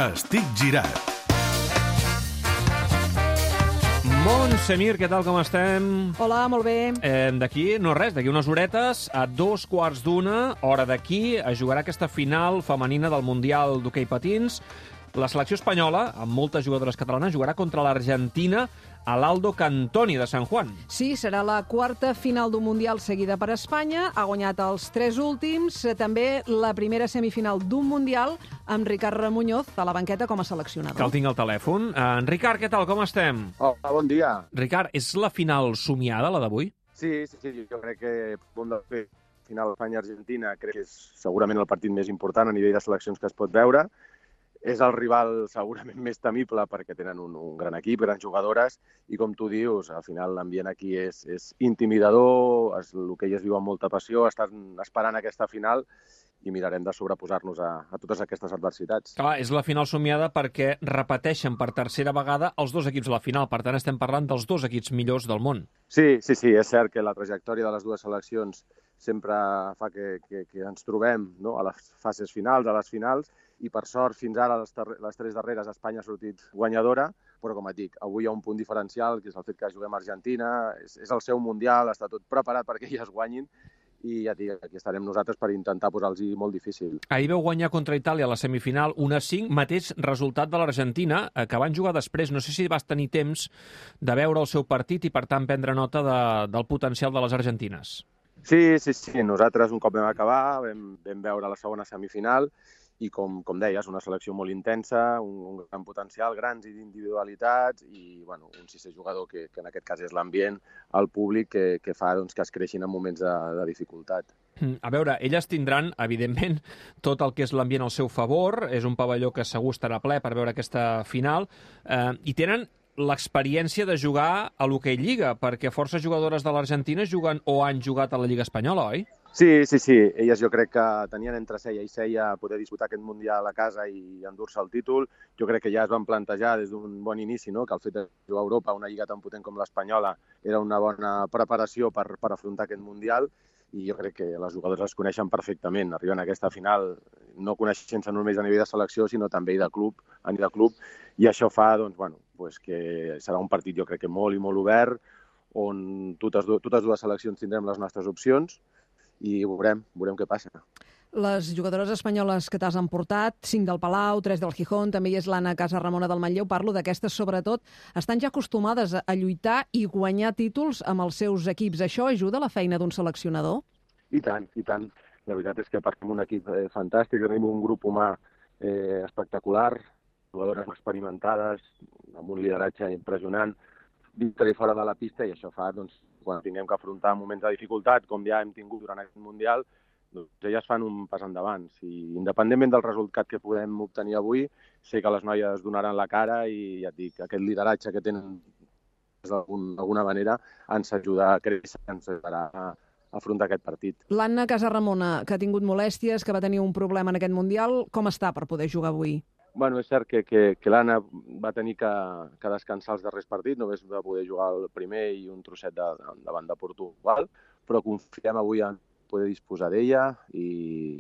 Estic girat. Montsemir, què tal, com estem? Hola, molt bé. D'aquí, no res, d'aquí unes horetes, a 2:15, hora d'aquí, es jugarà aquesta final femenina del Mundial d'Hoquei Patins. La selecció espanyola, amb moltes jugadores catalanes, jugarà contra l'Argentina a l'Aldo Cantoni de San Juan. Sí, serà la quarta final d'un Mundial seguida per Espanya. Ha guanyat els 3 últims. També la primera semifinal d'un Mundial amb Ricard Muñoz a la banqueta com a seleccionador. Que el tinc al telèfon. Ricard, què tal, com estem? Hola, bon dia. Ricard, és la final somiada, la d'avui? Sí, jo crec que bon de fer final Espanya-Argentina crec que és segurament el partit més important a nivell de seleccions que es pot veure. És el rival segurament més temible perquè tenen un gran equip, grans jugadores, i com tu dius, al final l'ambient aquí és intimidador, l'hoquei es viu amb molta passió, estan esperant aquesta final i mirarem de sobreposar-nos a totes aquestes adversitats. Clar, és la final somiada perquè repeteixen per tercera vegada els dos equips a la final, per tant estem parlant dels dos equips millors del món. Sí, és cert que la trajectòria de les dues seleccions sempre fa que ens trobem, no?, a les fases finals, a les finals, i per sort fins ara les 3 darreres Espanya ha sortit guanyadora, però com et dic, avui hi ha un punt diferencial, que és el fet que juguem a Argentina, és el seu Mundial, està tot preparat perquè elles guanyin, i ja et dic, aquí estarem nosaltres per intentar posar-los molt difícil. Ahir vau guanyar contra Itàlia a la semifinal 1-5, mateix resultat de l'Argentina, que van jugar després. No sé si vas tenir temps de veure el seu partit i, per tant, prendre nota del potencial de les argentines. Sí, nosaltres un cop vam acabar, vam veure la segona semifinal, i com deies, una selecció molt intensa, un gran potencial, grans individualitats i un sisè jugador que en aquest cas és l'ambient, el públic, que fa que es creixin en moments de dificultat. A veure, elles tindran, evidentment, tot el que és l'ambient al seu favor, és un pavelló que segur estarà ple per veure aquesta final, i tenen l'experiència de jugar a l'Hoquei Lliga, perquè forces jugadores de l'Argentina juguen o han jugat a la Lliga Espanyola, oi? Sí. Elles jo crec que tenien entre ceia i ceia poder disputar aquest Mundial a casa i endur-se el títol. Jo crec que ja es van plantejar des d'un bon inici, no?, que el fet de jugar a Europa, una lliga tan potent com l'Espanyola, era una bona preparació per afrontar aquest Mundial, i jo crec que les jugadores les coneixen perfectament. Arriben a aquesta final no coneixent-se només a nivell de selecció, sinó també a nivell de club, i això fa que serà un partit jo crec que molt i molt obert, on totes dues seleccions tindrem les nostres opcions, i veurem què passa. Les jugadores espanyoles que t'has emportat, 5 del Palau, 3 del Gijón, també hi és l'Anna Casarramona del Manlleu, parlo d'aquestes sobretot, estan ja acostumades a lluitar i guanyar títols amb els seus equips. Això ajuda a la feina d'un seleccionador? I tant. La veritat és que partim un equip fantàstic, tenim un grup humà espectacular, jugadores experimentades, amb un lideratge impressionant, dintre i fora de la pista, i això fa, quan tinguem que afrontar moments de dificultat, com ja hem tingut durant aquest Mundial, elles fan un pas endavant. I independentment del resultat que podem obtenir avui, sé que les noies donaran la cara i ja et dic, aquest lideratge que tenen d'alguna manera ens ajuda a créixer, ens ajudarà a afrontar aquest partit. L'Anna Casarramona, que ha tingut molèsties, que va tenir un problema en aquest Mundial, com està per poder jugar avui? És cert que l'Anna va tenir que descansar els darrers partits, només va poder jugar el primer i un trosset davant de Portugal, però confiem avui en poder disposar d'ella i,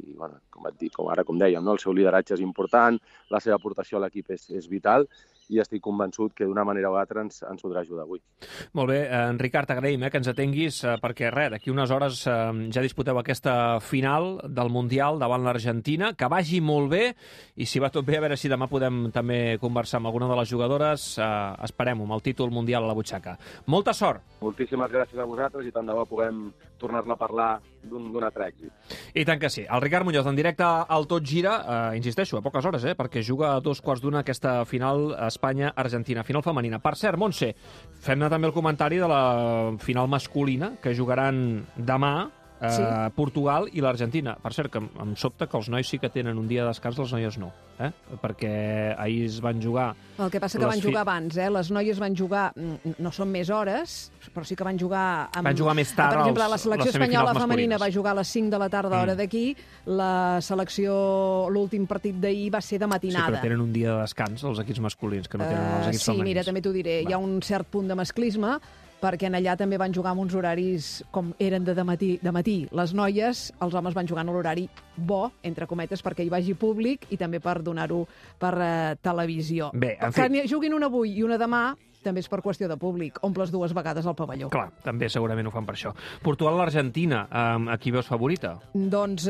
com dèiem, el seu lideratge és important, la seva aportació a l'equip és vital, i estic convençut que d'una manera o altra ens podrà ajudar avui. Molt bé, Ricard, t'agraïm que ens atenguis, perquè d'aquí unes hores ja disputeu aquesta final del Mundial davant l'Argentina, que vagi molt bé, i si va tot bé, a veure si demà podem també conversar amb alguna de les jugadores, esperem-ho, amb el títol mundial a la butxaca. Molta sort! Moltíssimes gràcies a vosaltres i tant de bo puguem tornar-ne a parlar d'un altre èxit. I tant que sí. El Ricard Muñoz, en directe al Tot Gira, insisteixo, a poques hores, perquè juga a 2:15 aquesta final Espanya-Argentina, final femenina. Per cert, Montse, fem-ne també el comentari de la final masculina, que jugaran demà, Portugal i l'Argentina. Per cert, que em sobta que els nois sí que tenen un dia de descans, les noies no, perquè ahir es van jugar... El que passa que van jugar abans, les noies van jugar, no són més hores, però sí que van jugar... Van jugar més tard. Per exemple, la selecció espanyola femenina va jugar a les 5 de la tarda, hora d'aquí, la selecció, l'últim partit d'ahir va ser de matinada. Sí, però tenen un dia de descans, els equips masculins, que no tenen els equips femenins. Sí, mira, també t'ho diré, hi ha un cert punt de masclisme, perquè en allà també van jugar amb uns horaris com eren de matí. Les noies, els homes van jugar en l'horari bo, entre cometes, perquè hi vagi públic i també per donar-ho per televisió. Bé, en fi. Que juguin una avui i una demà també és per qüestió de públic. Omples 2 vegades al pavelló. Clar, també segurament ho fan per això. Portugal-Argentina, a qui veus favorita? Doncs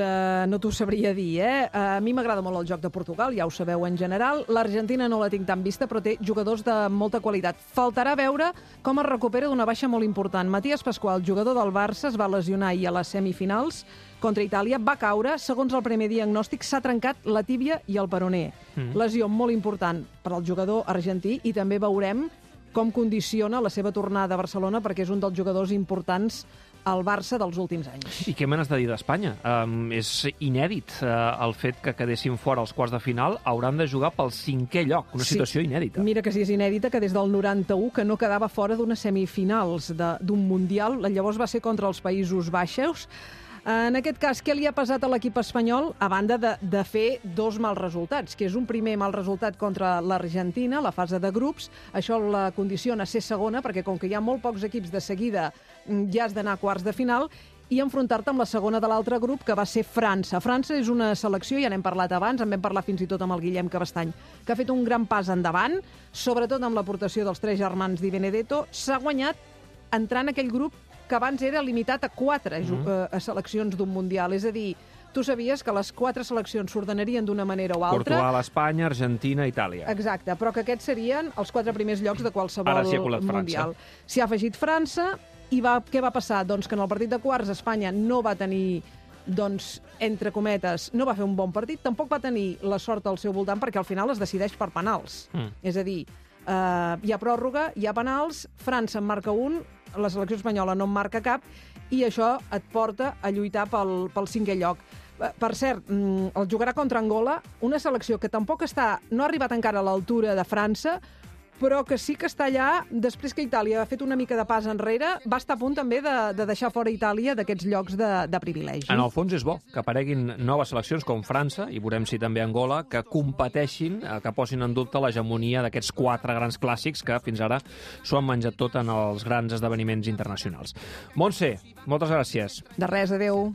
no t'ho sabria dir, A mi m'agrada molt el joc de Portugal, ja ho sabeu en general. L'Argentina no la tinc tan vista, però té jugadors de molta qualitat. Faltarà veure com es recupera d'una baixa molt important. Matías Pascual, jugador del Barça, es va lesionar ahir a les semifinals contra Itàlia, va caure, segons el primer diagnòstic, s'ha trencat la tíbia i el peroné. Lesió molt important per al jugador argentí i també veurem com condiciona la seva tornada a Barcelona, perquè és un dels jugadors importants al Barça dels últims anys. I què me n'has de dir d'Espanya? És inèdit el fet que quedessin fora als quarts de final, hauran de jugar pel 5è lloc, una situació inèdita. Mira que sí, és inèdita, que des del 91 que no quedava fora d'unes semifinals d'un Mundial, llavors va ser contra els Països Baixos. En aquest cas, què li ha pesat a l'equip espanyol, a banda de fer 2 mals resultats, que és un primer mal resultat contra l'Argentina, la fase de grups. Això la condiciona a ser segona, perquè com que hi ha molt pocs equips de seguida, ja has d'anar a quarts de final, i enfrontar-te amb la segona de l'altre grup, que va ser França. França és una selecció, ja n'hem parlat abans, en vam parlar fins i tot amb el Guillem Cabestany, que ha fet un gran pas endavant, sobretot amb l'aportació dels 3 germans Di Benedetto. S'ha guanyat entrant en aquell grup que abans era limitat a 4 seleccions d'un Mundial. És a dir, tu sabies que les 4 seleccions s'ordenarien d'una manera o altra. Portugal, Espanya, Argentina, Itàlia. Exacte, però que aquests serien els 4 primers llocs de qualsevol Mundial. S'hi ha afegit França, i què va passar? Doncs que en el partit de quarts Espanya no va tenir, entre cometes, no va fer un bon partit, tampoc va tenir la sort al seu voltant, perquè al final es decideix per penals. És a dir, hi ha pròrroga, hi ha penals, França en marca un, la selecció espanyola no en marca cap, i això et porta a lluitar pel 5è lloc. Per cert, el jugarà contra Angola, una selecció que tampoc no ha arribat encara a l'altura de França, però que sí que està allà, després que Itàlia ha fet una mica de pas enrere, va estar a punt també de deixar fora Itàlia d'aquests llocs de privilegi. En el fons és bo que apareguin noves seleccions com França, i veurem si també Angola, que competeixin, que posin en dubte l'hegemonia d'aquests 4 grans clàssics que fins ara s'ho han menjat tot en els grans esdeveniments internacionals. Montse, moltes gràcies. De res, adeu.